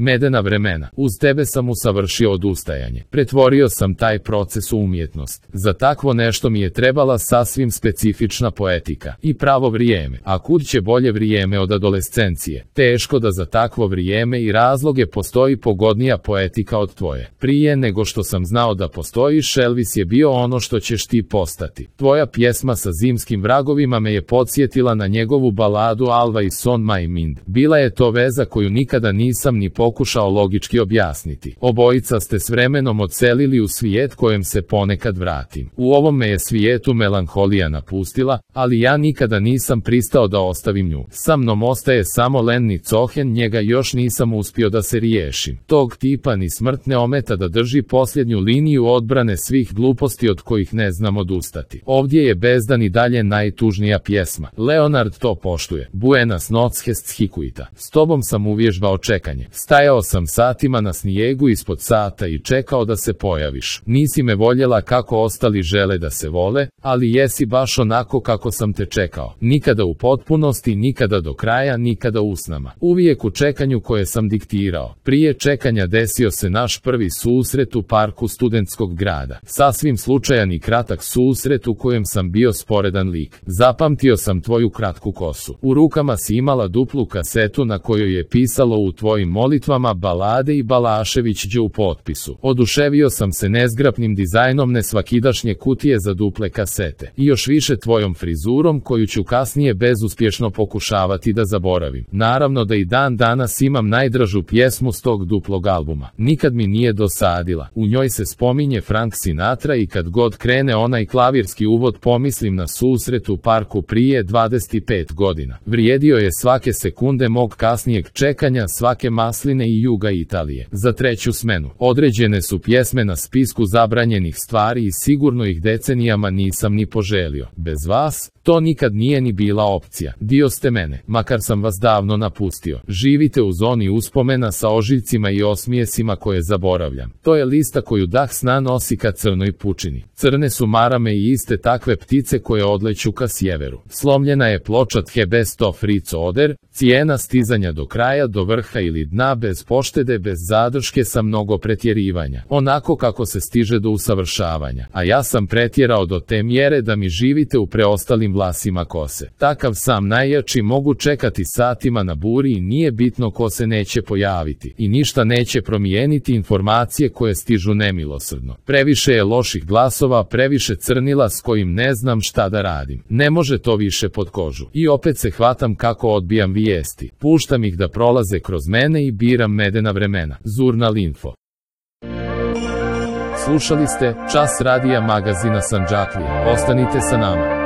Medena vremena. Uz tebe sam usavršio odustajanje. Pretvorio sam taj proces u umjetnost. Za takvo nešto mi je trebala sasvim specifična poetika i pravo vrijeme. A kud će bolje vrijeme od adolescencije? Teško da za takvo vrijeme i razloge postoji pogodnija poetika od tvoje. Prije nego što sam znao da postojiš, Elvis je bio ono što ćeš ti postati. Tvoja pjesma sa zimskim vragovima me je podsjetila na njegovu baladu Always on my mind. Bila je to veza koju nikada nisam ni pokušao logički objasniti. Obojica ste s vremenom odselili u svijet kojem se ponekad vratim. U ovom me je svijetu melanholija napustila, ali ja nikada nisam pristao da ostavim nju. Sa mnom ostaje samo Lenny Cohen, njega još nisam uspio da se riješim. Tog tipa ni smrt ne ometa da drži posljednju liniju odbrane svih gluposti od kojih ne znam odustati. Ovdje je Bezdan i dalje najtužnija pjesma. Leonard to poštuje. Buenas noches hikuita. S tobom sam uvježbao čekanje. Stajao sam satima na snijegu ispod sata i čekao da se pojaviš. Nisi me voljela kako ostali žele da se vole, ali jesi baš onako kako sam te čekao. Nikada u potpunosti, nikada do kraja, nikada usnama. Uvijek u čekanju koje sam diktirao. Prije čekanja desio se naš prvi susret u parku studentskog grada. Sasvim slučajan i kratak susret u kojem sam bio sporedan lik. Zapamtio sam tvoju kratku kosu. U rukama si imala duplu kasetu na kojoj je pisalo u tvojim molitvama balade i Balašević u potpisu. Oduševio sam se nezgrapnim dizajnom nesvakidašnje kutije za duple kasete. I još više tvojom frizurom koju ću kasnije bezuspješno pokušavati da zaboravim. Naravno da i dan danas imam najdražu pjesmu s tog duplog albuma. Nikad mi nije dosadila. U njoj se spominje Frank Sinatra i kad god krene onaj klavirski uvod pomislim na susret u parku prije 25 godina. Vrijedio je svake sekunde mog kasnijeg čekanja, svake masline i juga Italije. Za treću smenu. Određene su pjesme na spisku zabranjenih stvari i sigurno ih decenijama nisam ni poželio. Bez vas, to nikad nije ni bila opcija. Dio ste mene, makar sam vas davno napustio. Živite u zoni uspomena sa ožiljcima i osmijesima koje zaboravljam. To je lista koju dah sna nosi ka crnoj pučini. Crne su marame i iste takve ptice koje odleću ka sjeveru. Slomljena je ploča The Best of Fritz Oder, cijena stizanja do kraja, do vrha ili dna bez poštede, bez zadrške sa mnogo pretjerivanja. Onako kako se stiže do usavršavanja. A ja sam pretjerao do te mjere da mi živite u preostalim vlasima kose. Takav sam najjači mogu čekati satima na buri i nije bitno ko se neće pojaviti. I ništa neće promijeniti informacije koje stižu nemilosrdno. Previše je loših glasova, previše crnila s kojim ne znam šta da radim. Ne može to više pod kožu. I opet se hvatam kako odbijam vijesti. Puštam ih da prolaze kroz mene i biram medena vremena. Zurnal Info. Slušali ste Čas radija magazina Sandžaklije. Ostanite sa nama.